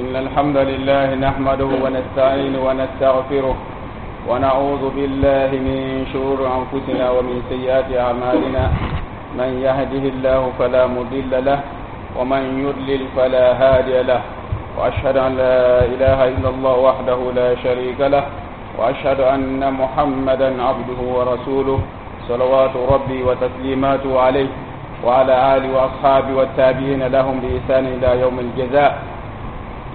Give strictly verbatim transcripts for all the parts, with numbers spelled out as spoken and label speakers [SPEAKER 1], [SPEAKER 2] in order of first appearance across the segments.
[SPEAKER 1] إن الحمد لله نحمده ونستعينه ونستغفره ونعوذ بالله من شرور أنفسنا ومن سيئات أعمالنا. من يهده الله فلا مضل له ومن يضلل فلا هادي له، وأشهد أن لا إله إلا الله وحده لا شريك له، وأشهد أن محمدا عبده ورسوله، صلوات ربي وتسليماته عليه وعلى آله وأصحابه والتابعين لهم بإحسان إلى يوم الجزاء.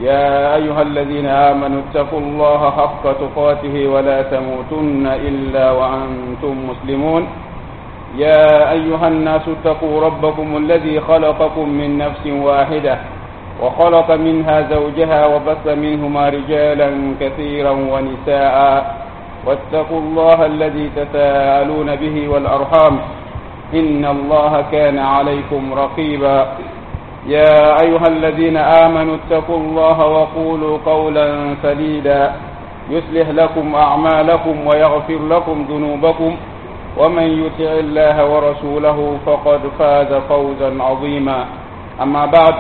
[SPEAKER 1] يا أيها الذين آمنوا اتقوا الله حق تقاته ولا تموتن إلا وأنتم مسلمون. يا أيها الناس اتقوا ربكم الذي خلقكم من نفس واحدة وخلق منها زوجها وبث منهما رجالا كثيرا ونساء، واتقوا الله الذي تساءلون به والأرحام إن الله كان عليكم رقيبا. يا أيها الذين آمنوا اتقوا الله وقولوا قولا سديدا يصلح لكم أعمالكم ويغفر لكم ذنوبكم، ومن يطع الله ورسوله فقد فاز فوزا عظيما. أما بعد،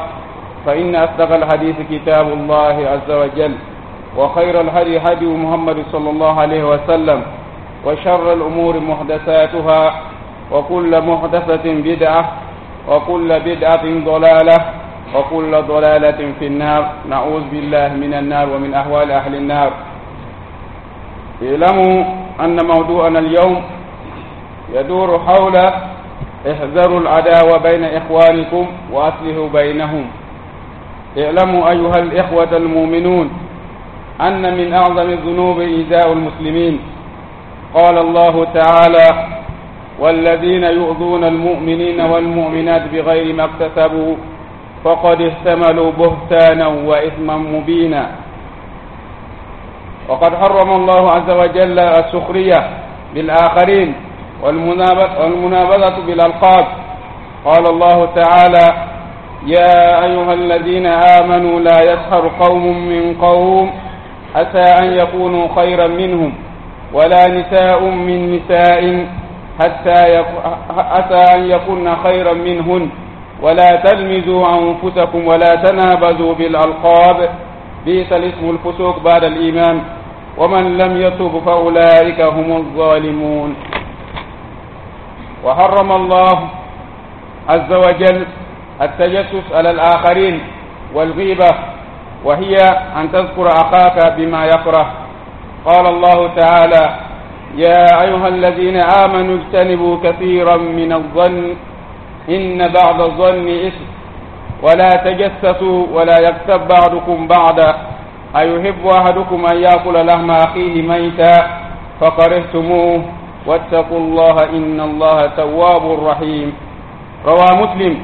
[SPEAKER 1] فإن أصدق الحديث كتاب الله عز وجل، وخير الهدي هدي محمد صلى الله عليه وسلم، وشر الأمور محدثاتها، وكل محدثة بدعة، وكل بدعة ضلالة، وكل ضلالة في النار. نعوذ بالله من النار ومن أهوال أهل النار. اعلموا أن موضوعنا اليوم يدور حول احذروا العداوة بين إخوانكم وأصلحوا بينهم. اعلموا أيها الإخوة المؤمنون أن من أعظم الذنوب إيذاء المسلمين. قال الله تعالى: والذين يؤذون المؤمنين والمؤمنات بغير ما اكتسبوا فقد احتملوا بهتانا وإثما مبينا. وقد حرم الله عز وجل السخرية بالآخرين والمنابذة بالألقاب. قال الله تعالى: يا أيها الذين آمنوا لا يسخر قوم من قوم عسى أن يكونوا خيرا منهم، ولا نساء من نساء حتى يك... عسى أن يكون خيرا منهن، ولا تلمزوا أنفسكم ولا تنابزوا بالألقاب، بئس الاسم الفسوق بعد الإيمان، ومن لم يتب فأولئك هم الظالمون. وحرم الله عز وجل التجسس على الآخرين والغيبة، وهي أن تذكر أخاك بما يكره. قال الله تعالى: يا أيها الذين آمنوا اجتنبوا كثيرا من الظن إن بعض الظن إثم، ولا تجسسوا ولا يغتب بعضكم بعضا، أيحب أحدكم أن يأكل لحم أخيه ميتا فكرهتموه، واتقوا الله إن الله تواب رحيم. روى مسلم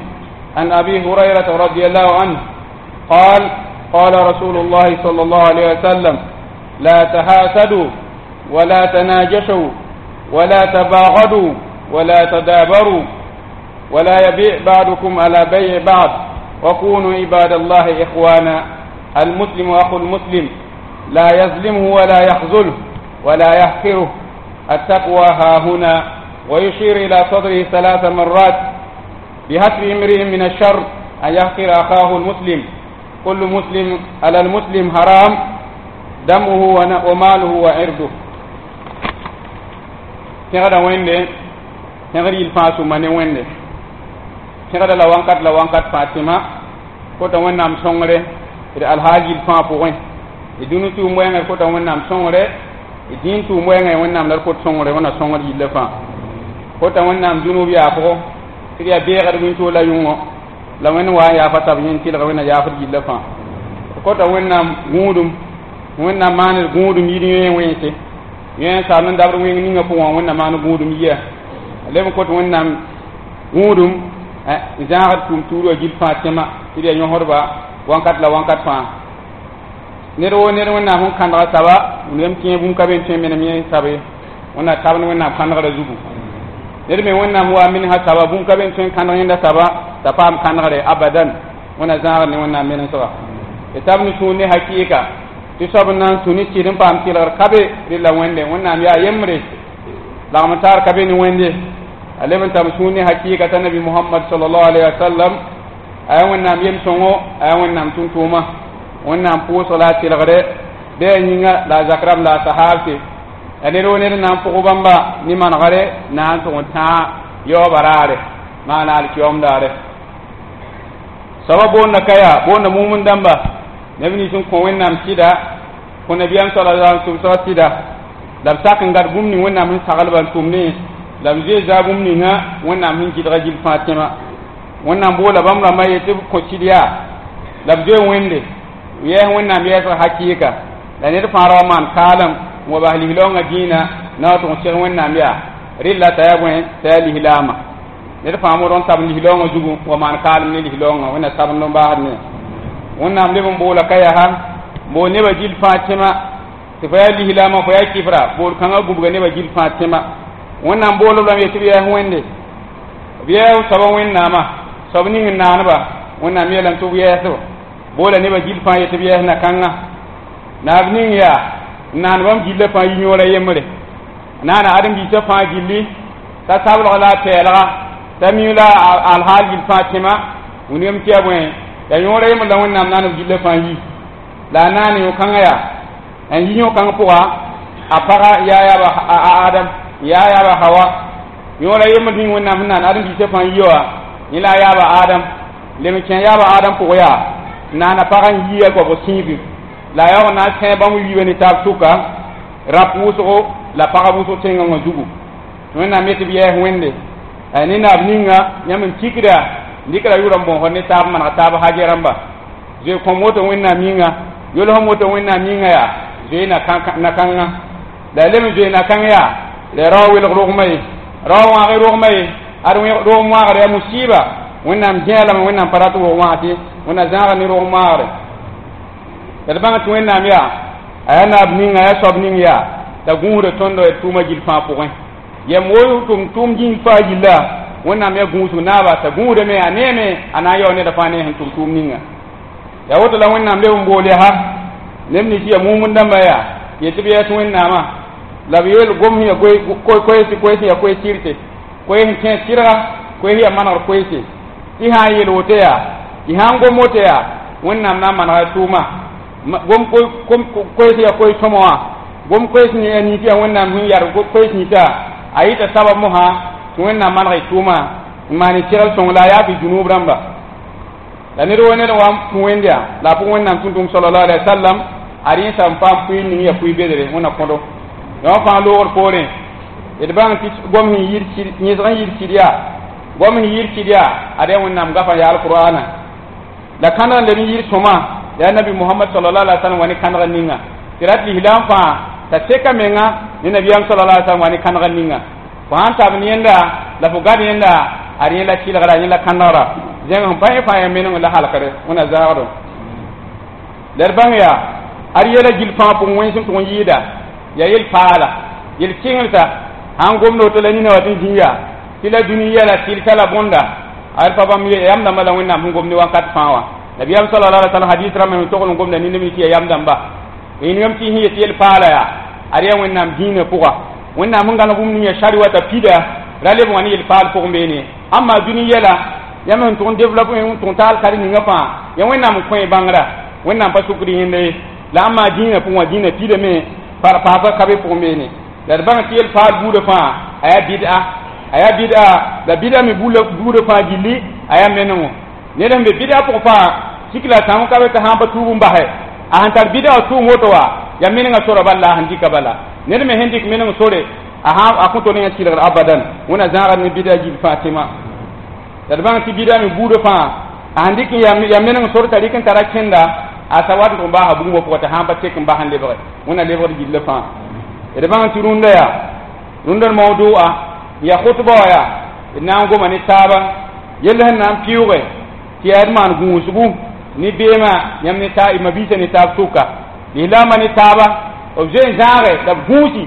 [SPEAKER 1] عن أبي هريرة رضي الله عنه قال: قال رسول الله صلى الله عليه وسلم: لا تحاسدوا ولا تناجشوا ولا تباغضوا ولا تدابروا، ولا يبيع بعضكم على بيع بعض، وكونوا عباد الله إخوانا. المسلم أخو المسلم، لا يظلمه ولا يخذله ولا يحقره. التقوى ها هنا، ويشير إلى صدره ثلاث مرات بحسب امرئ من الشر أن يحقر أخاه المسلم. كل مسلم على المسلم حرام دمه وماله وعرضه. Tẽgda wẽnde tẽgd yil fãa sũma ne wẽnde tẽgda la wãnkat la wãnkat fãa tẽma kota wẽnnaam sõngre d alhaal yil fãa pʋgẽ d dũni tʋʋm wɛɛngã kota wẽnnaam sõngre d dĩin tʋʋm wɛɛngã wẽnnaam la d kot sõngre wẽnna sõngd yillã fãa kota wẽnnaam dũnub yaafgo tɩ d yaa beegd wĩntoog la yʋngõ la wẽnd wa n yaafa tab yẽn tɩlg wẽnna yaafd yillã fãa kota wẽnnaam gũudum wẽnnaam maand gũudum yir yẽ wẽnse yẽ saam n dabd wẽng ninga pʋgẽ wẽnna maan gũudum yia leb n kot wẽnnaam gũudum n zãagd tʋʋm tuur wã gill fãa tẽma tɩ d yaa yõsdba wãnkat la wãnkat fãa ned woo ned wẽnnaam sẽn kãndga saba lem tẽ bũmb ka be n tõe n menem yẽ sabe wẽnna tabd wẽnnaam kãndgrã zugu ned me wẽnnaam wa menesã saba bũmb ka be n tõe n kãndg yẽnda saba t'a paam kãndgre abadan wẽnna zãagd ne wẽnnaam menesga d tab ne sũur ne hakɩɩka tɩ soab n na n tũ ne sɩd n paam tɩlgr ka be rɩla wẽnde wẽnnaam yaa yembre lagm taar ka be ne wẽnde a leb n tab sũur ne hakɩɩka t'a nabi Mohamad salallahu alayhi wa sallam a yaa wẽnnaam yem-sõngo a yaa wẽnnaam tʋm-tʋʋma Wẽnnaam pʋʋsg la a tɩlgre bɩ a yĩnga la a zak rãmb la a sahaabse la ned wo ned n na n pʋg bãmba ne manegre na n tʋg n tãag yaoobã raare maana alkiyoom daare soaba boonda ka yaa boonda mumund dãmba neb nins n kõ Wẽnnaam sɩda kõ nabiyaam sala tʋmsga sɩda la b sak n gad bũmb ning Wẽnnaam sẽn saglba n tʋmdẽ la b zoe zaa bũmb ninga Wẽnnaam sẽn gɩdga gill fãa tẽma Wẽnnaam boola bãmb rãmbã yetɩ b kõ sɩd yaa la b zoe Wẽnde yɛɛs Wẽnnaam yɛɛsg hakɩɩka la ned fãa ra wa maan kaalem n wa bas lislaoongã dĩinã na wa tʋg n seg Wẽnnaam yaa rɩlla t'a yaa bõe t'a yaa lislaama ned fãa modg n tab lislaoongã zugu wa maan kaalem ne lislaoongã Wẽnna sabend n baasd ne Wẽnnaam leb n boola ka yaa bool nebã gill fãa tẽma tɩ fo yaa lislaama fo yaa kɩfra bool kãngã gũbga nebã gill fãa tẽma Wẽnnaam boolb lame yetɩ b yɛɛs Wẽnde b yɛɛs soaba Wẽnnaamã soab ning n naaneba Wẽnnaam yeelame tɩ b yɛɛsb boola nebã gill fãa yetɩ b yɛɛs na-kãngã naab ning yaa n naan bãmb gillã fãa yi yõora yembre naana ãdem-biisã fãa gilli t'a sablg la a pɛɛlga t'a miu la alhaal gill fãa tẽma wilgame tɩ yaa bõe yaa yõora yembr la Wẽnnaam naan b gillã fãa yi la a naane yõ-kãngã yaa n yi yõ-kãng pʋga a paga yaa yaaba a Adam yaa yaaba Hawa yõora yembr ning Wẽnnaam sẽn naan ãdem-biisã fãa yi wã yẽ la a yaaba Adam lem n kẽ yaaba Adam pʋgẽ yaa naana pag n yi a goabg sĩibe la a yaoog n na n sẽ bãmb wiibã ne taab sʋka rap wʋsgo la pagb wʋsg tẽngã wã zugu Wẽnnaam yetɩ b yɛɛs Wẽnde ne naab ninga yãmb n tikda n dɩkra yʋʋr n bõosd ne taab n maneg taab hajɛ rãmba zoe kõm woto Wẽnnaam yĩnga yolsem woto Wẽnnaam yĩnga yaa zoe na-kãngã la a lem n zoe na-kãng yaa la rao welg rogmã ye rao wãag rogmã ye ad rog wãagr yaa musiba Wẽnnaam gẽa lame Wẽnnaam pa rat wog wãag tɩ Wẽnna zãaga ne rog maagre la d bãng tɩ Wẽnnaam yaa a yaa naab ninga a yaa soab ning yaa t'a gũusda tõndo d tʋʋma gill fãa pʋgẽ yam wo tʋm tʋʋm gĩng fãa gilla Wẽnnaam yaa gũusg naaba t'a gũusdame a neeme a na n yao neda fãa ne sẽn tʋm tʋʋm ninga yaa woto la Wẽnnaam leb n bool yaa neb nins yaa mumund dãmba yaa yetɩ b yɛɛs Wẽnnaamã la b yeel gom sẽn yaa koeese koees yaa koees sɩrte koees sẽn kẽes sɩrga koees yaa manegr koeese tɩ sã n yeel woto yaa tɩ sã n gom woto yaa Wẽnnaam na n manega tʋʋma gom koees yaa koees sõma wã gom koees nins yaa Wẽnnaam sẽn yar koees ninsã a yɩta sabab mosã tɩ Wẽnnaam maneg y tʋʋma n maan y segl sõng la a yaa tɩ zunub rãmba la ned wo ned wa n tũ Wẽnd yaa la a pʋg Wẽnnaam tũn-tʋm sallallahu alaihi wa sallam a rẽ sã n paam pʋɩ ning yaa pʋɩ bedre Wẽnna kõdo yã wã fãa loogr poorẽ d bãng tɩ gom sẽn yɩɩd yẽsg n yɩɩd sɩd yaa gom sẽn yɩɩd sɩd yaa ad yaa Wẽnnaam gafa yaa alqur'ana la kãndg n leb n yɩɩd sõma yaa nabi Mohamad sallallahu alaihi wa sallam wa ne kãndg ninga tɩ rat lislaam fãa t'a seka menga ne nabiyaam sallallahu alaihi wa sallam wa ne kãndg ninga fo sãn tab yẽnda la fo gad yẽnda ad yẽ la sɩlgra yẽ la kãndgra zẽng sẽn pa yẽ fãa yaa meneng la halkre Wẽnna zaagdo la d bãng yaa ad yɛla gill fãa pʋgẽ wẽns n tʋg n yɩɩda yaa yel paala yel kɩngrta sãn gomd woto la nina wa tɩ n zĩ yaa tɩ la dũni yɛla sɩlta la bõnda ad pa bãmb yam dãmba la Wẽnnaam sẽn gomde wakat fãa wã nabiyaam sallallahu alaihi wa sallam hadis rãmba me togl n gomda nindame tɩ yaa yam dãmba yĩngame tɩ sẽn yet yel paala yaa ad yaa Wẽnnaam dĩinã pʋga Wẽnnaam sẽn gãneg bũmb ning yaa shari wa t'a pida ra leb wã ne yel paal pʋgẽ beene amma dũni yɛla yãmb sẽn tʋg n développe n tʋg n taal kar ninga fãa yaa Wẽnnaam n kõ bãngrã Wẽnnaam pa sukd yẽnda ye la amma dĩinã pʋgẽ wã dĩinã pidame paasga ka be pʋgẽ beene la d bãng tɩ yel paal buudã fãa a yaa bid'a a yaa bid'a la bid'a me buudã fãa gilli a yaa menengo ned sẽn be bid'a pʋgẽ fãa sik la sãam ka be t'a sãn pa tuub n basɛ a sẽn tar bid'a wã tʋʋm woto wa yaa menengã sora bal la a sẽn dɩka bala ned me sẽn dɩk meneng sore a sã a kõt ne yã sɩlgr abadan Wẽnna zãagd ne bid'a gill fãa tẽma la d bãng tɩ bid'a me buudã fãa a sẽn dɩk yaa meneng sor t'a rɩk n tara kẽnda a sa wat n tʋg n baasa bũmb pʋgã t'a sãn pa tek n bas n lebge Wẽnna lebgd gillã fãa d bãng tɩ rũndã yaa rũndã mawdu'a yaa khutba wã yaa d na n goma ne taaba yell sẽn na n pɩʋʋge tɩ yaa d maan gũusgu ne beemã yãmb ne taa mabiisã ne taab sʋka lislaambã ne taaba b zoe n zãage la b gũusi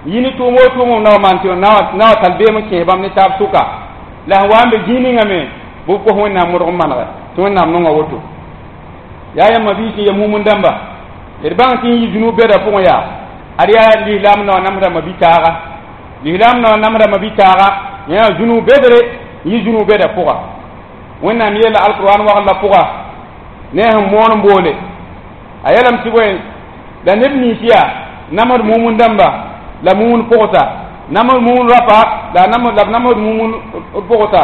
[SPEAKER 1] yi ne tʋʋm o tʋʋm na wa maan tɩ na wa tall beem n kẽes bãmb ne taab sʋka la sẽn wa n be zĩig ningã me bɩ b kos Wẽnnaam modg n manege tɩ Wẽnnaam nonga woto yaa yãmb mabiis n ya mumund dãmba d bãng tɩ n yi zunub bɛda pʋgẽ yaa ad yaa lislaam na wa namsda mabi-taaga lislaam na wa namsda mabi-taaga yã zunub bedre n yi zunub bɛda pʋga Wẽnnaam yeela alquran wagl la pʋga ne sẽn moon n boole A yeelame tɩ bõe la neb nins yaa namsd mumund dãmba la mumund pʋgsa, namsd mumund rapa la la b namsd mumund pʋgsa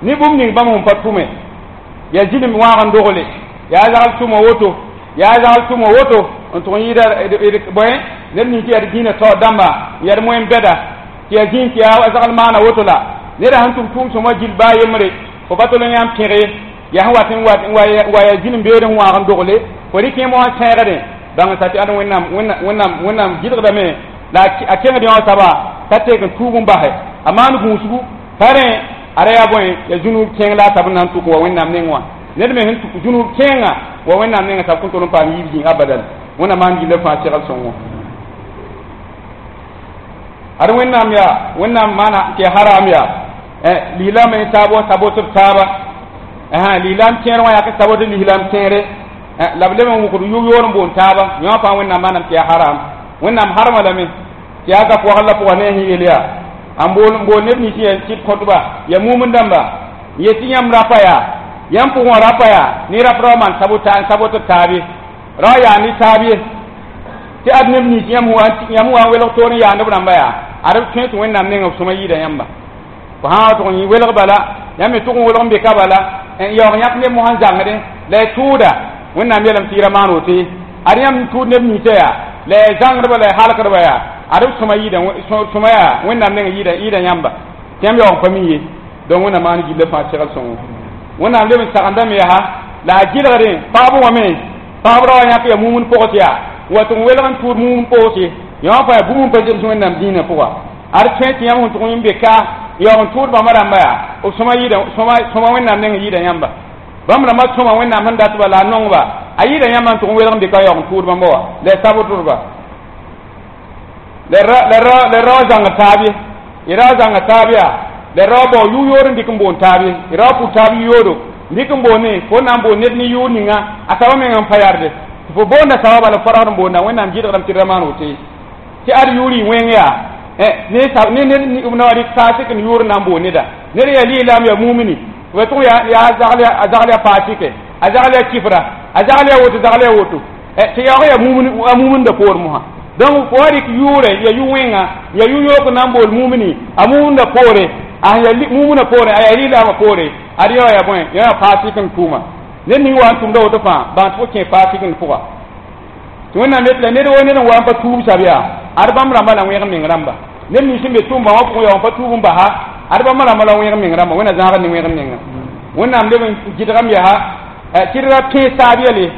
[SPEAKER 1] ne bũmb ning bãmb sẽn pa tʋme yaa zĩlem wãag n dogle yaa zagl tʋma woto yaa zagl tʋma woto n tʋg n yɩɩda bõe neb nins yaa d dĩinã taoor dãmba n yaa d moyen bɛda tɩ yaa zĩig tɩ yaa zagl maana woto la neda sẽn tʋm tʋʋm sõma gill baa yembre fo pa tol n yãmb pẽge yaa sẽn wat n wa yaa zĩlem beood sẽn wãag n dogle fo rɩk yẽ mosã sẽegdẽ bãng sa tɩ ad wẽnnaam wẽnnaam wẽnnaam gɩlgdame la a kẽngd yõ soaba t'a teek n tuub n basɛ a maan gũusgu pa rẽ ada yaa bõe ya zũnub kẽeng la a tab n na n tʋk wa wẽnnaam neng wã ned me sẽn tʋk zũnub kẽenga wa wẽnnaam nengã tab kõn tol n paam yiib zĩig abadan wẽnnaam maan gilla fãa segl sõngo ad wẽnnaam yaa wẽnnaam maana tɩ ya haram yaa lislaam n taab wa sabot b taaba lislaam kẽer wã yaa sabot lislaam kẽere la b leb n wʋgd yʋ-yoor n boon taaba yõ fãa wẽnnaam maanam tɩ yaa haram wẽnnaam harma lame tɩ yaa gap wagl la pʋga ne a sẽn yel yaa n bool n bool neb nins yaa sɩd kõtba yaa mumund dãmba n yet tɩ yãmb rapa yaa yãmb pʋgẽ wã rapa yaa ne rap rao maan sabot b taab ye rao yaa ne taab ye tɩ ad neb nins yãmb yãmb wa n welg toor n yaand b rãmba yaa ad b tõe tɩ wẽnnaam nengã b sõma yɩɩda yãmba fo sã wa tʋg n welg bala yãmb me tʋg n welg n be ka bala n yaoog yãk neb mosã n zãngdẽ la y tʋʋda wẽnnaam yeelame tɩ y ra maan woto ye ad yãmb n tʋʋd neb ninsã yaa la y zãngdba la y halkdba yaa ad b sõma yɩɩda sõma yaa wẽnnaam nengã yɩɩda yɩɩda yãmba tɩ yãmb yaoog n pa mi ye donc wẽnnaam maan gilla fãa segl sõngo wẽnnaam leb n sagendame yaa la a gɩlgdẽ pagb wã me pagb ra wa yãk ya mumund pʋgs yaa wa tɩ n welg n tʋʋd mumund pʋgs ye yõ fãa yaa bũmb n pa zems wẽnnaam dĩinã pʋga ad tõe tɩ yãmb sẽn tʋg n be ka yaoog n tʋʋd bãmba rãmba yaa b sõma yɩɩda sõma wẽnnaam nengã yɩɩda yãmba bãmb rãmbã sõma wẽnnaam sẽn dat ba la a nongba a yɩɩda yãmba n tʋg n welg n be ka yaoog n tʋʋd bãmba wa la y sabtdba la rao zãng taab ye y rao zãnga taab yaa la rao bao yʋ-yood n dɩk n boon taab ye y rao pʋ taab yʋ-yoodo n dɩk n boone fo na n boon ned ne yʋʋr ninga a saba meng n pa yarde tɩ fo boonda saba bala fo raood n boonda wẽnnaam gɩdgdame tɩ d ra maan woto ye tɩ ad yʋʋr y wẽng yaa ne ned na wa rɩk faasɩk n yʋʋr n na n boon neda ned yaa lislaam yaa mumini ba tʋg yaa a zagl yaa faasɩke a zagl yaa kifra a zagl yaa woto zagl yaa woto tɩ yaoog yaa a mumunda poor mosã donc fo wa rɩk yʋʋre ya yʋ-wẽnga ya yʋ-yook na n bool mumini a mumunda poore a ya mumuna poore a yaa lislaamã poore ad yaoa yaa bõe yã yaa faasɩk n tʋʋma ned ning wa n tʋmda woto fãa bãng tɩ fo kẽ faasɩk n pʋga tɩ wẽnnaam yet la ned wo ned n wa n pa tuub sab yaa ad bãmb rãmba la wẽg meng rãmba neb nins sẽn be tʋʋmba wã pʋgẽ yaoog n pa tuub n basa ad bãmb rãmba la wẽg meng rãmba wẽnna zãagd ne wẽg menga wẽnnaam leb n gɩdgame yaa tɩ d ra pẽes taab yɛle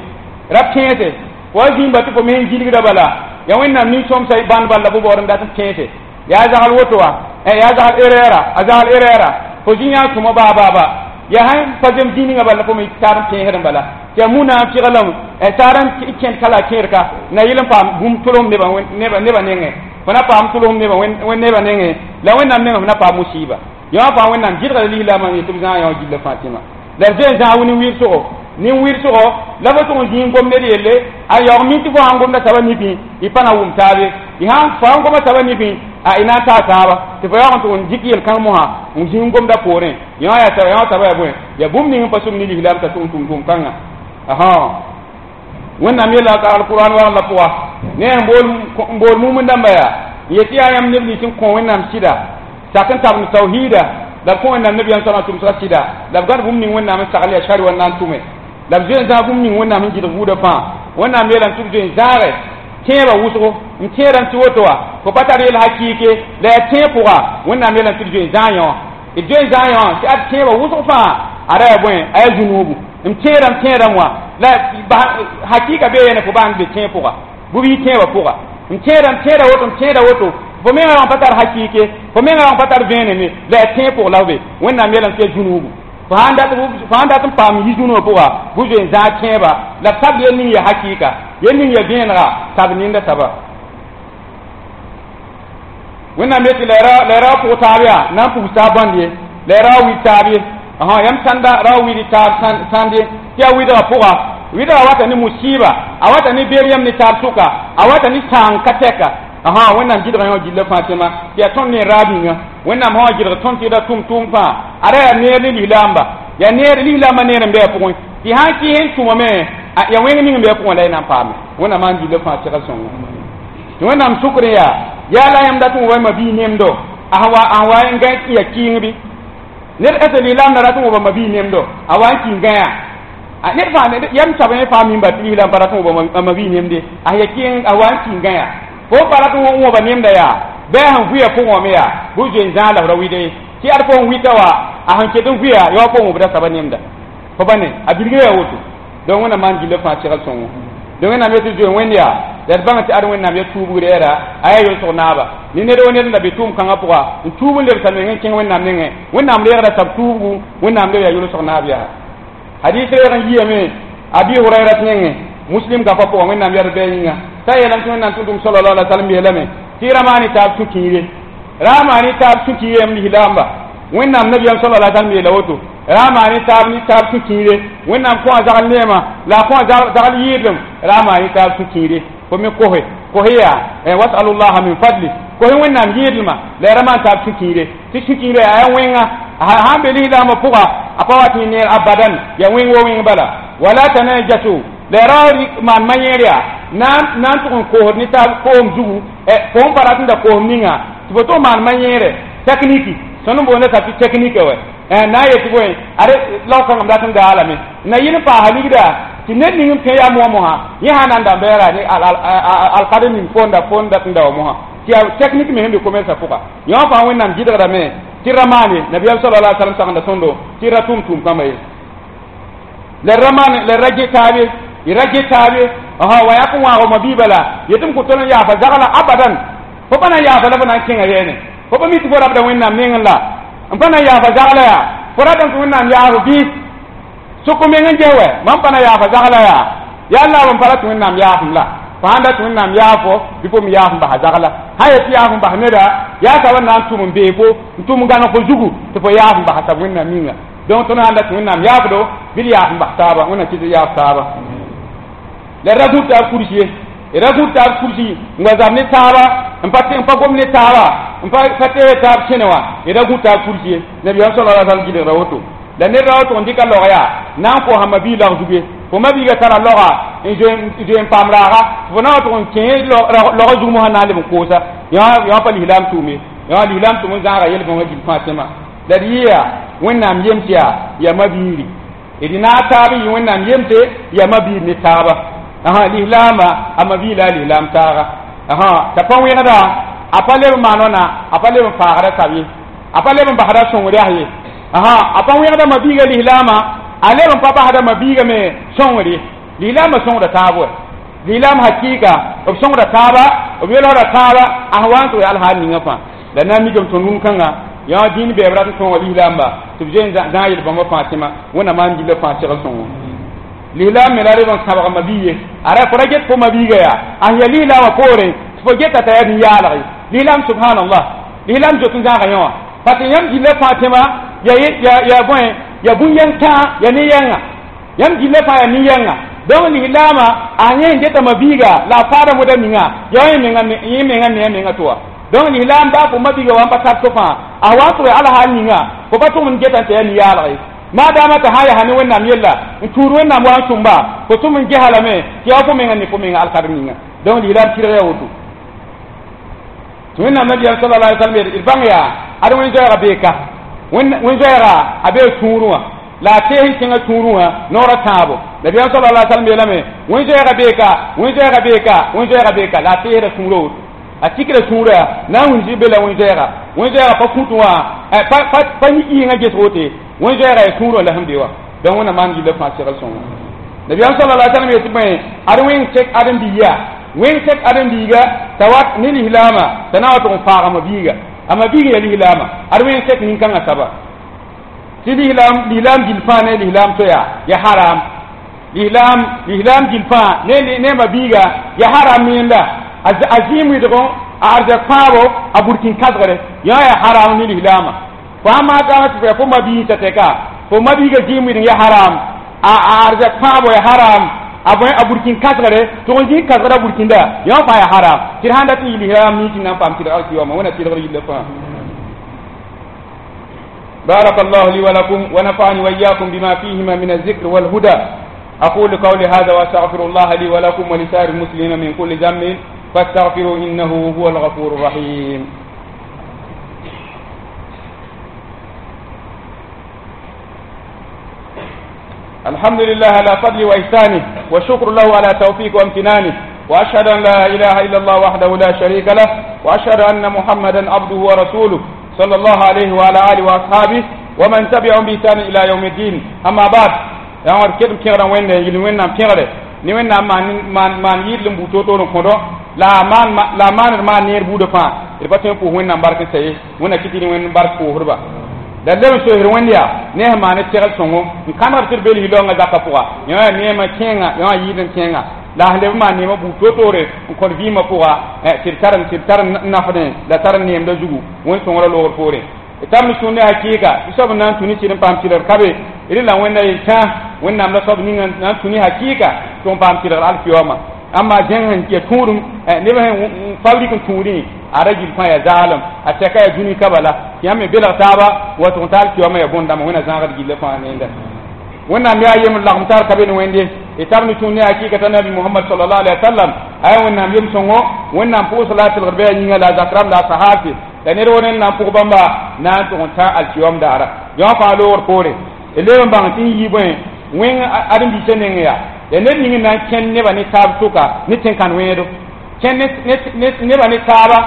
[SPEAKER 1] ra pẽese fo wa zĩmba tɩ fo me sẽn gilgda bala ya wẽnnaam nin-sõmsa bãnd bal la fo baood n dat n pẽese yaa zagl woto wa yaa zagl erɛɛra a zagl erɛɛra fo zĩ yã sõma baa baa ba yaa sãn pa zem zĩ ninga bala fo me taar n pẽesd n bala tɩ yaa muna n fɩglame taar n kẽnd ka la a kẽer ka na yɩl n paam bũmb tʋlsem nebã nebã nengẽ fo na paam tʋlsem nebã nebã nengẽ la wẽnnaam nengẽ fo na paam musiiba yõ fãa wẽnnaam gɩdga la lislaamã yetɩ b zãag yõ gilla fãa tɩma la d zoe n zãag nin-wɩɩr-sʋgo nin-wɩɩr-sʋgo la fo tʋg n zĩig n gom ned yelle a yaoog min tɩ fo sãn gomda soaba nifẽ y pa na wʋm taabe y sãn fo sãn goma soaba nifẽ a y na n taa taaba tɩ fo yaoog n tʋg n dɩk yel-kãng mosã n zĩig n gomda poorẽ yõ yaa saba yõ soaba yaa bõe yaa bũmb ning n pa sʋm ne lislaam t'a tʋg n tʋm tʋʋm kãnga aha wẽnnaam yeela ka alquran wagl la pʋga ne n bool mumund dãmba yaa n yetɩ yaa yãmb neb nins n kõ wẽnnaam sɩda sak n tabend tawhiida la b kõ wẽnnaam nabiyaam soabã tʋmsga sɩda la b gãd bũmb ning wẽnnaam n sagl yaa shari wa n na n tʋme la b zoe n zãag bũmb ning wẽnnaam sẽn gɩdg buudã fãa wẽnnaam yeelame tɩ b zoe n zãage tẽebã wʋsgo n tẽedame tɩ woto wa fo pa tar yel hakɩɩke la yaa tẽeb pʋga wẽnnaam yeelame tɩ b zoe n zãag yõ d zoe n zãag yõ tɩ ad tẽebã wʋsg fãa ada yaa bõe a yaa zũnuubu n tẽedame tẽedame wã la hakɩɩka bee yene fo bãng be tẽeb pʋga bʋ bɩ tẽebã pʋga n tẽedame tẽeda woto n tẽeda woto fo mengã wã pa tar hakɩɩke fo mengã wã pa tar vẽeneme la yaa tẽeb pʋg la f be wẽnnaam yeelame tɩ yaa zũnuubu fo sãn dat n paam yi zũnugã pʋga bʋ zoe n zãag tẽebã la b tab yel ning ya hakɩɩka yel ning ya vẽenega tab ninda saba wẽnnaam yetɩ la y ra pʋg taab yaa na n pugs taab bãnd ye la y ra wa wid taab ye yãmb sãnda ra wa wid taab sãnd ye tɩ yaa wɩdgã pʋga wɩdgã wata ne musiiba a wata ne beer yãmb ne taab sʋka a wata ne sãang ka tɛka aha wẽnnaam gɩdgã yõ gilla fãa tẽma tɩ yaa tõnd ne raab yĩnga wẽnnaam sã wa gɩdg tõnd tɩ ra tʋm tʋʋm fãa ada yaa neer ne lislaamba yaa neer lislaambã neer n be a pʋgẽ tɩ sãn kɩs n tʋmame Ya wẽng ning n be pʋgẽ la y na n paame wẽnnaam maan gilli fãa segl sõngo tɩ wẽnnaam sʋkr yaa yaa la yãmb dat n wa ma-bii nemdo a wa a wa n gã ya kɩɩng bɩ ned ese lislaam na rat n wʋba ma-bii nemdo a wa n kɩ n gãyã ned fãa yam sab yẽ fãa mimba tɩ lislaam pa rat n wʋba ma-bii nemde a ya kɩɩng a wa n kɩ n gãyã fo pa rat n wʋba nemda yaa bɩ a sẽn vʋya pʋgẽ wã me yaa bɩ zoe n zãag la f ra wɩde tɩ ad fo n wɩta wa a sẽn ket n vʋya ya wa fo wʋbda saba nemda fo pa ne a bilga yaa woto donc wẽnnaam maan gilli fãa segl sõngo donc wẽnnaam yetɩ zoe wẽnd yaa la d bãng tɩ ad wẽnnaam ya tuubgr yɛra a yaa yolsg naaba ne ned wo ned n da be tʋʋm kãngã pʋga n tuub n lebsa meng n kẽng wẽnnaam nengẽ wẽnnaam reegda sab tuubgu wẽnnaam leb yaa yolsg naab yaa hadis reeg n yiame abi hurairat nengẽ muslim gafã pʋgã wẽnnaam yɛd bɩ a yĩnga t'a yeelame tɩ wẽnnaam tʋm-tʋm sallallahu alaihi wasallam yeelame tɩ ra maan taab sũ-kiire ra maan taab sũ-kiire yam lislaamba wẽnnaam nabiyam sallallahu alaihi wasallam yeela woto ra maan taab ne taab sũ-kiire wẽnnaam kõ a zagl neema la a kõ a zagl yɩɩdem ra maan taab sũ-kiire fo me kose kose yaa wasalullaha min fadli kose wẽnnaam yɩɩdlma la ya ra maan taab sũ-kiire tɩ sũ-kiire yaa yaa wẽnga sãn be lislaambã pʋga a pa wat neer abadan ya wẽng wo wẽng bala wala tanajasu la ra maan ma-yẽer yaa na n tʋg n koosd ne taab koom zugu fo n pa rat n da koosem ninga tɩ fo tʋg maan ma-yẽere tekniki tõnd n boonda t'a tɩ teknike wɛ na n yetɩ bõe ad laog-kãngam dat n gaalame na yɩl n paasa ligda tɩ ned ning n pẽ yaa moa mosã yẽ sã na n dãmba yaa ne alkad ning fonda fond dat n da wa mosã tɩ yaa teknik me sẽn be commerce pʋga yõ fãa wẽnnaam gɩdgdame tɩ ra maane nabiyaam sallallahu alaihi wasallam sagenda tõndo tɩ ra tʋm tʋʋm kãmba ye la ra maan la ra get taabe y ra get taabe wa yaa kõ wãago ma biiba la yetɩ m kõ tõnd n yaafa zagla abadan fo pa na n yaafa la fo na n kẽnga yɛɛne fo pa mi tɩ fo rabda wẽnnaam nengẽ la n pa na n yaafa zagla yaa fo ratame tɩ wẽnnaam yaafo bɩ sʋk meng n ges wɛ mam pa na yaafa zagla yaa yaa la n pa ra tɩ wẽnnaam yaafem la fo sãn da tɩ wẽnnaam yaafo bɩ fo me yaaf n basa zagla sã yetɩ yaaf n bas neda yaa sab n na n tʋm n bee fo n tʋm n gãneg fo zugu tɩ fo yaaf n basa sab wẽnnaam ninga donc tõnd sãn da tɩ wẽnnaam yaafdo bɩ d yaaf n bas taaba wẽnnaam kɩ tɩ yaaf taaba la ra gũud taab kursi ye ra gũud taab kursi n wa zab ne taaba n pa n pa gom ne taaba n pa pa tees taab kẽne wã ra gũud taab kursi ye nabiyaam sallallahu alaihi wasallam gɩdgda woto la ned ra woto n dɩka log yaa na n koosã ma-bii lag zug ye fo ma-biiga tara loga n zoe n paam raaga fo na wa tʋg n kẽ logã zug mosã na n leb n koosa yã pa lislaam tʋʋme yã lislaam tʋm n zãaga yel-bõngã gil fãa tẽma la d yɩɩ wẽnnaam yem tɩ yaa yaa ma-biiri d naag taab n yɩ wẽnnaam yemte yaa ma-biir ne taaba aha lislaamba a ma-bii la a lislaam taaga aha t'a pa wẽgda a pa leb n maan wãna a pa leb n faagda tab ye a pa leb n basda sõngr yaa ye aha a pa wẽgda ma-biiga lislaama a leb n pa basda ma-biiga me sõngr ye lislaambã sõngda taab wɛ lislaam hakɩɩka b sõngda taaba b yelgda taaba a sẽn wa n tʋg yaa alhaal ninga fãa la na n mikame tõnd rũn-kãngã yã dĩin bɛɛb rat n tõoga lislaamba tɩ b zoe n zãag yel-bãmbã fãa tẽma wẽnnaam maan gilla fãa segl sõngo lislaam me la reb n sãbg ma-bii ye a ra fo ra get fo ma-biiga yaa a sẽn yaa lislaamã poorẽ tɩ fo geta t'a yaa nin-yaalg ye lislaam subhanallah lislaam zoet n zãaga yẽ wã parce que yãmb gilla fãa tẽma ya ya bõe ya bũn-yɛng tãa ya ne-yɛnga yãmb gilla fãa yaa ne-yɛnga donc lislaamã a yẽ n geta ma-biiga la a faada moda ninga ya yẽ menga yẽ menga ne a menga tɩ wa donc lislaam baa fo ma-biiga wa n pa tar to fãa a wa n tʋg alhaal ninga fo pa tʋg n geta n tɩ yaa nin-yaalg ye maadaama t'a sã yaa ne wẽnnaam yella n tuud wẽnnaam wa n tʋmba fo tʋm n gesa lame tɩ yaa fo menga ne fo menga alkadr ninga donc lislaam tɩrg yaa woto tɩ wẽnnaam nabiyaam sallallahu alaihi wasallam d bãng yaa ad wẽn-zoɛɛga beeka wẽn-zoɛɛga a bee tũurẽ wã la a tees n kẽngã tũurẽ wã noorã tãabo nabiyaam sallallahu alaihi wasallam yeelame wẽn-zoɛɛga beeka wẽn-zoɛɛga beeka wẽn-zoɛɛga beeka la a teesda tũurã woto a tikra tũurã na n wilg be la wẽn-zoɛɛga wẽn-zoɛɛga pa kũtẽ wã pa yĩngã ges wote wẽn-zoɛɛga yaa tũurã la sẽn be wã donc wẽnnaam maan gilla fãa segl sõngo nabiyaam sallallahu alaihi wasallam yetɩ bõe ad wẽng tek ãdem-biiga wẽng tek ãdem-biiga t'a wat ne lislaama t'a na wa tʋg n faaga ma-biiga a ma-biig ya lislaama ad wẽng tek nin-kãngã saba tɩ lislaam lislaam gil fãa ne lislaam to yaa ya haram lislaam lislaam gil fãa ne ne ma-biiga ya haram yẽnda a zĩim wɩdgõ a arzɛk fãabo a burkĩn kãsgre yã ya haram ne lislaama fo sã maa tãag tɩ fo yaa fo ma-biig t'a tɛka fo ma-biiga zĩim wɩdg ya haram a arzɛk fãabo ya haram a bõe a burkĩn kãsgre tʋg n zĩig kãsgra burkĩnda yã fãa ya haram tɩ d sãn dat n yɩ lislaam nin na n paam tɩrg alkiyama wẽna tɩlgr yilla fãa بارك الله لي ولكم ونفعني وإياكم بما فيهما من الذكر والهدى. أقول قولي هذا وأستغفر الله لي ولكم ولسائر المسلمين من كل ذنب فاستغفروا إنه هو الغفور الرحيم. الحمد لله على فضله وإحسانه، وشكر له على توفيق وامتنانه، وأشهد أن لا إله إلا الله وحده لا شريك له، وأشهد أن محمدا عبده ورسوله صلى الله عليه وعلى آله وأصحابه ومن تبعهم بإحسان إلى يوم الدين. أما بعد، yãwã d ket n kẽgdã wẽnde n yɩl wẽnnaam kẽgre ne wẽnnaam maan yɩɩd n buu to-toor n kõdo la a maaned maan neer buudã fãa d pa tõe n pʋʋs wẽnnaam bark n sa ye wẽnna kɩ tɩ wẽnd bark pʋʋsdba la leb n soesd wẽnd yaa ne sẽn maan segl sõngo n kãnegd tɩ d be lislaoongã zakã pʋga yã yaa neemã kẽenga yã yɩɩd n kẽenga la sẽn leb n maan neemã buud to-toore n kõt vɩɩmã pʋga tɩ d tar tɩ d tar n nafdẽ la tar n neemda zugu wẽn sõngrã loogr poorẽ tam ni sũur ne hakɩɩka tɩ soab n na n tũ ne sɩd n paam tɩlgr ka be rela wẽnda yel-tã wẽnnaam la soab ning na n tũ ne hakɩɩka tɩ n paam tɩlgr alkiyoma amma zẽng sẽn ya tũudum neb sẽn fabrik n tũudẽ a ra gill fãa yaa zaalem a tɛka yaa dũni ka bala tɩ yãmb me belg taaba wa tʋg n ta alkiyoma yaa bõn-dãmba wẽnna zãagd gilla fãa nenda wẽnnaam yaa yem lagem tar ka be ne wẽnde y tar ne tũud ne hakɩɩka t'a nabi Muhammad sallallahu alaihi wa sallam aya wẽnnaam yem sõngo wẽnnaam pʋʋs la a tɩlgr bɩ a yĩnga la a zak rãmb la a sahaase la ned wo ned na n pʋg bãmba na n tʋg n tã alkiyom daara yã fãa loogr poore d leb n bãng tɩ n yɩ bõe wẽng ãdem-biisã neng yaa ya ned ning n na n kẽnd nebã ne taab sʋka ne tẽn-kãn wẽedo kẽnd nebã ne taaba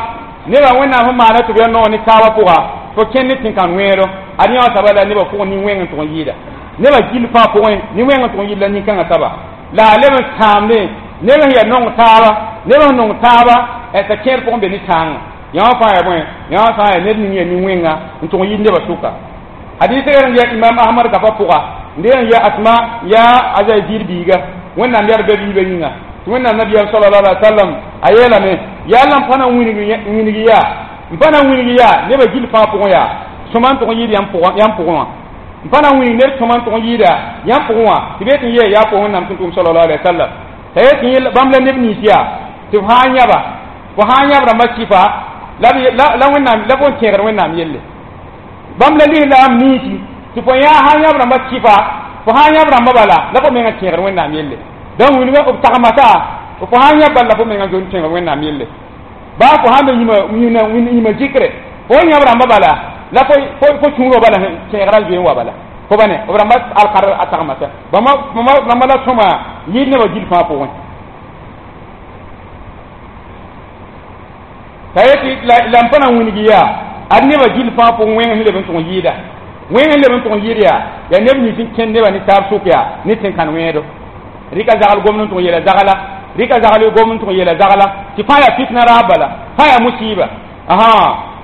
[SPEAKER 1] nebã wẽnnaam sẽn maana tɩ b yaa noog ne taabã pʋga fo kẽnd ne tẽn-kãn wẽedo ad yã wã saba la nebã pʋgẽ nin-wẽng n tʋg n yɩɩda nebã gill fãa pʋgẽ nin-wẽng n tʋg n yɩɩd la nin-kãngã saba la a leb n sãamdẽ neb sẽn yaa nong taaba neb sẽn nong taaba t'a kẽer pʋgẽ be ne tãangã yã wã fãa yaa bõe yã wã fãa yaa ned ning yaa nin-wẽnga n tʋg n yɩɩd nebã sʋka hadis n ya imam ahmad gafa pʋga n dee n ya asma ya azai biiga wẽnnaam yaa be biibã yĩnga tɩ wẽnnaam nabiyaam sallallahu alaihi wa sallam a yeelame yaa la n pa na n wilg yaa n pa na n wilg yaa nebã gill fãa pʋgẽ yaa sõma n tʋg n yɩɩd yãmb pʋgẽ wã n pa na n wilg ned sõma n tʋg n yɩɩda yãmb pʋgẽ wã tɩ be tɩ n yee yaa pʋgẽ wẽnnaam tʋm tʋʋm sallallahu alaihi wa sallam t'a yet tɩ bãmb la neb nins yaa tɩ f sã n yãba fo sã n yãb rãmbã kɩfa la wẽnnaam la fo n kẽegd wẽnnaam yelle bãmb la lislaam ninsi tɩ fo yã sã n yãb rãmbã kɩfa fo sã n yãb rãmbã bala la fo menga kẽegd wẽnnaam yelle donc wilgã b tagmasa fo sã n yãb bala la fo menga zon kẽegd wẽnnaam yelle baa fo sãn be yĩma zikre fo n yãb rãmbã bala la fo sũurã bala kẽegrã zoe n wa bala fo ba ne b rãmbã alkar a tagmasa rãmbã la sõma yɩɩd nebã gill fãa pʋgẽ t'a yetɩ la n pa na n wilg yaa ad nebã gill fãa pʋgẽ wẽng sẽn leb n tʋg n yɩɩda wẽng sẽn leb n tʋg n yɩɩd yaa yaa neb nins n kẽnd nebã ne taab sʋk yaa ne tẽn-kãn wẽedo rɩka zagl gomd n tʋg n yeela zagla rɩka zagl gomd n tʋg n yeela zagla tɩ fãa yaa fitna raab bala fãa yaa musiiba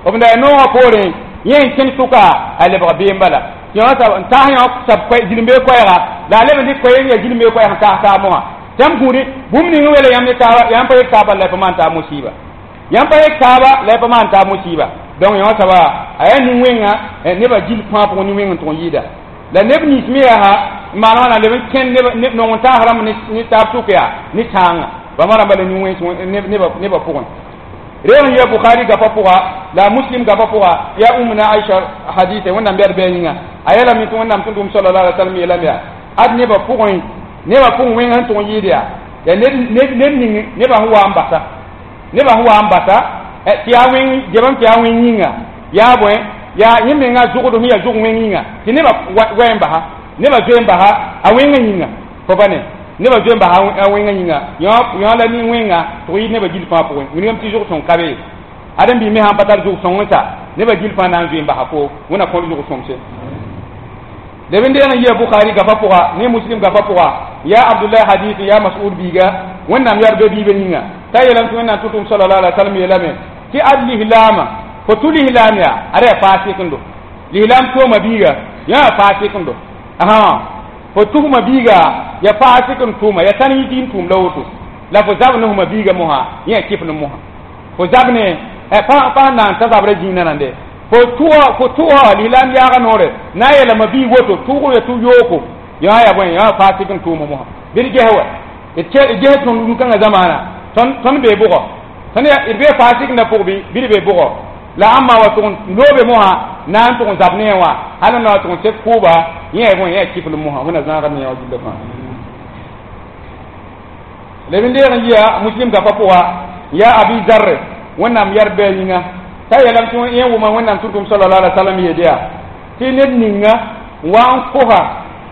[SPEAKER 1] b da yaa noogã poorẽ yẽ n kẽnd sʋka a lebg beem bala tɩ yã n taas yã sab zĩlmbe koɛɛga la a leb n dɩk koɛɛg yaa zĩlmbe koɛɛg n taas taab mosã tɩ yãmb gũudi bũmb ning n weela yãmb ne taaba yãmb pa yek taab bala la y pa maan taab musiiba yãmb pa yek taaba la y pa maan taab musiiba donc yã saba a yaa nin-wẽnga nebã gill fãa pʋgẽ nin-wẽng n tʋg n yɩɩda la neb nins me yaa n maan wãna leb n kẽnd nong n taas rãmb ne taab sʋk yaa ne tãangã bãmba rãmba la nin-wẽns nebã pʋgẽ reeg n yaa Bukhari gapa pʋga la Muslim gapa pʋga yaa Ummuna Aisha hadise wẽnnaam bɛd bɩ a yĩnga a yeelame tɩ wẽnnaam tʋm tʋʋm sallallahu alaihi wa sallam yeelame yaa ad nebã pʋgẽ nebã pʋgẽ wẽng sẽn tʋg n yɩɩd yaa yaa ned ning nebã sẽn wa n basa nebã sẽn wa n basa tɩ yaa wẽng gebame tɩ yaa wẽng yĩnga yaa bõe yaa yẽ menga zʋgd sẽn yaa zʋg wẽng yĩnga tɩ nebã wɛ n basa nebã zoe n basa a wẽngã yĩnga fo pa ne nebã zoe n basa a wẽngã yĩnga yã la nin-wẽnga tɩ yɩɩd nebã gill fãa pʋgẽ wilgame tɩ zʋg sõng ka be ãdem-biis me sãn pa tar zʋg sõng n sa nebã gill fãa na n zoe n basa fo wẽnna kõt zʋg sõmse leb n deeg n yɩa Bukhari gapa pʋga ne Muslim gapa pʋga yaa Abdullahi hadisi yaa Mas'ud biiga wẽnnaam yaa be biibã yĩnga t'a yeelame tɩ wẽnnaam tʋm-tʋʋm sallallahu alaihi wa sallam yeelame tɩ ad lislaamã fo tʋ lislaam yaa ada yaa faasɩkendo lislaam tooma biiga yã yaa faasɩkendo fo tʋsma biiga yaa faasɩk n tʋʋma yaa tãn yɩ tɩ n tʋʋm la woto la fo zab ne fma biiga mosã yẽ yaa kɩf ne mosã fo zab ne pa na n ta zabrã zĩig nande fo tʋga fo tʋga lislaam yaaga noore na n yeelame biig woto tʋʋg ya tʋ yooko yã yaa bõe yã yaa faasɩk n tʋʋma mosã bɩ d ges wa d ges tõnd rũn-kãngã zamaana tõnd bee bʋgɔ tõnd d bee faasɩkdã pʋg bɩ d bee bʋgɔ la ãmba wa tʋg n loobe mosã na n tʋg n zab ne wã hal n na wa tʋg n sek kʋʋba yẽ yaa bõe yẽ yaa kɩfl mosã wẽnna zãagd ne yã wã gilla fãa Leb n deeg n yia muslim gapa pʋga yaa Abi Zarr Wẽnnaam yɛr bɩ a yĩnga t'a yeelame tɩ yẽ wʋma Wẽnnaam tʋm-tʋm sallallahu alaihi wasallam yeel yaa tɩ ned ninga wa n kosa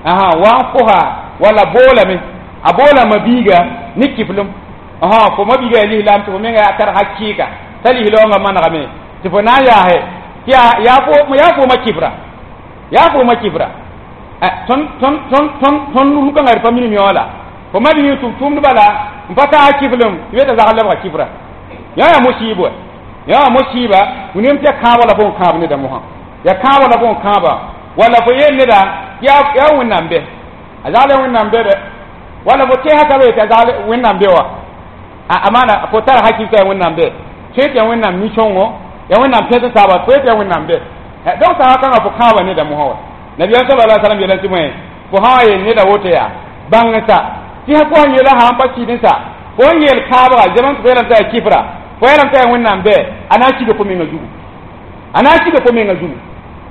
[SPEAKER 1] aha wa n kosa wala boolame a boola mabiiga ne kiflem aha fo mabiiga yaa lislaam tɩ fo menga yaa tar hakɩɩka t'a lislaoongã manegame tɩ fo na n yaase tɩ yaa yaa fooma kifra yaa fooma kifra tõnd tõnd tõnd tõnd tõnd rũkãngã d pa minim yõ la fo mabiig tʋm tʋmd bala n pa taa kiflem tɩ be t'a zagl lebga kifra yaa yaa mosiib wa yaa mosiiba wẽnem tɩ ya kãabã la fo n kãab neda mosã ya kãabã la fo n kãaba wala fo yeel neda yaa yaa Wẽnnaam bɛ a zagl ya Wẽnnaam bɛ dɛ wala fo tẽesa t'a be t'a zagl Wẽnnaam bɛ wa a maana fo tara hakil t'a ya Wẽnnaam bɛ tõe tɩ ya Wẽnnaam nin-sõngo ya Wẽnnaam pẽs saaba tõe tɩ ya Wẽnnaam bɛ donc saga kãngã fo kãaba neda mosã wa Nabiyaam sallallahu alaihi wasallam yeela tɩ bõe fo sã wa yeel neda woto yaa bãng sa tɩ fo sẽn yeela sã n pa sɩd sa fo n yeel kãabga zems fo yeelame t'a yaa kifra fo yeelame t'a yaa Wẽnnaam bɛ a na n siga fo menga zugu a na n siga fo menga zugu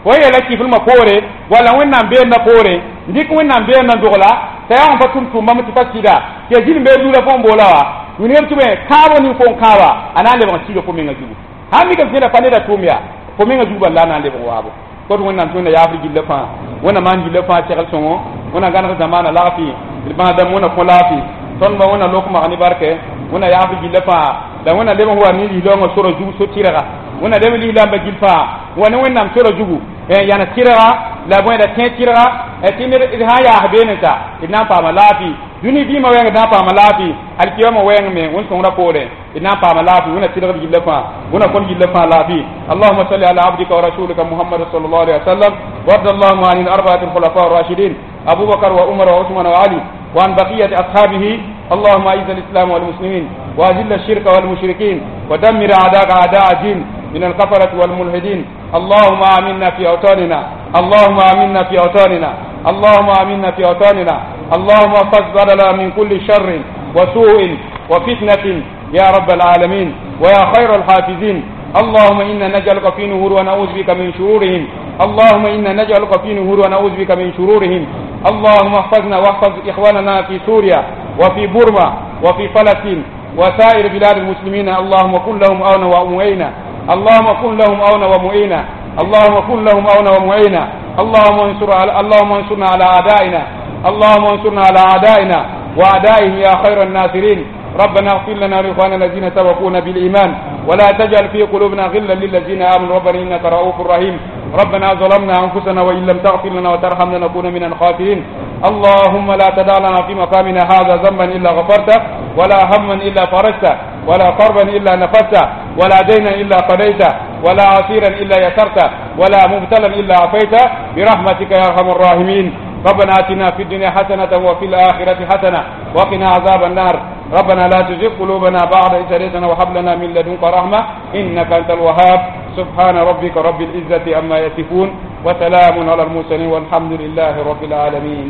[SPEAKER 1] fo yeela kiflmã poore wala Wẽnnaam beenda poore n dɩk Wẽnnaam beenda dogla t'a yaa n pa tʋm tʋʋmbame tɩ pa sɩda tɩ ya zĩnd beed lula fo n boola wa wilgame tɩ bõe kãabo ning fo n kãaba a na n lebg n siga fo menga zugu sãn mikame tɩ neda pa neda tʋʋm yaa fo menga zugu bala la a na n lebg waabo kot Wẽnnaam tɩ Wẽnna yaafr gilla fãa Wẽnna maan gilla fãa segl sõngo Wẽnna gãneg zamaana lagfi d bãasdãmb Wẽnna kõ laafɩ tõndba Wẽnna lok mag ne barkɛ Wẽnna yaafr gilla fãa la Wẽnna leb n wa ne lislaoongã sora zug so tɩrga Wẽnna leb n lislaambã gil fãa wa ne Wẽnnaam sora zugu yãnes tɩrga la bõe la tẽ tɩrga tɩ ned d sã n yaas beene sa d na n paama laafɩ dũni vɩɩmã wɛɛng d na n paama laafɩ alkiyama wɛɛng me Wẽn sõngrã poorẽ d na n paama laafɩ Wẽnna tɩlgd gilla fãa Wẽnna kõn gilla fãa laafɩ. اللهم صل على عبدك ورسولك محمد صلى الله عليه وسلم وارض اللهم عن الأربعة الخلفاء الراشدين أبو بكر وعمر وعثمان وعلي وعن بقية أصحابه. اللهم أعز الإسلام والمسلمين وأذل الشرك والمشركين ودمر أعداءك أعداء الدين من الكفرة والملحدين. اللهم آمنا في أوطاننا، اللهم آمنا في أوطاننا، اللهم آمنا في أوطاننا. اللهم احفظ بلدنا من كل شر وسوء وفتنة يا رب العالمين ويا خير الحافظين. اللهم إنا نجعلك في نهور ونعوذ بك من شرورهم. اللهم إنا نجعلك في نهور ونعوذ بك من شرورهم. اللهم احفظنا واحفظ إخواننا في سوريا وفي بورما وفي فلسطين وسائر بلاد المسلمين. اللهم كن لهم عونا ومعينا، اللهم كن لهم عونا ومعينا، اللهم كن لهم عونا ومعينا. اللهم انصر على اللهم انصرنا على أعدائنا، اللهم انصرنا على أعدائنا وأعدائهم يا خير الناصرين. ربنا اغفر لنا ولإخواننا الذين سبقونا بالإيمان ولا تجعل في قلوبنا غلا للذين آمنوا ربنا إنك رؤوف رحيم. ربنا ظلمنا أنفسنا وإن لم تغفر لنا وترحمنا لنكون من الخاسرين. اللهم لا تدع لنا في مقامنا هذا ذنبا إلا غفرته، ولا هما إلا فرجته، ولا كربا إلا نفسته، ولا دينا إلا قضيته، ولا عسيرا إلا يسرته، ولا مبتلا إلا عافيته، برحمتك يا أرحم الراحمين. ربنا آتنا في الدنيا حسنة وفي الآخرة حسنة وقنا عذاب النار. ربنا لا تزغ قلوبنا بعد إذ هديتنا وهب لنا من لدنك رحمة إنك أنت الوهاب. سبحان ربك رب العزة عما يصفون وسلام على المرسلين والحمد لله رب العالمين.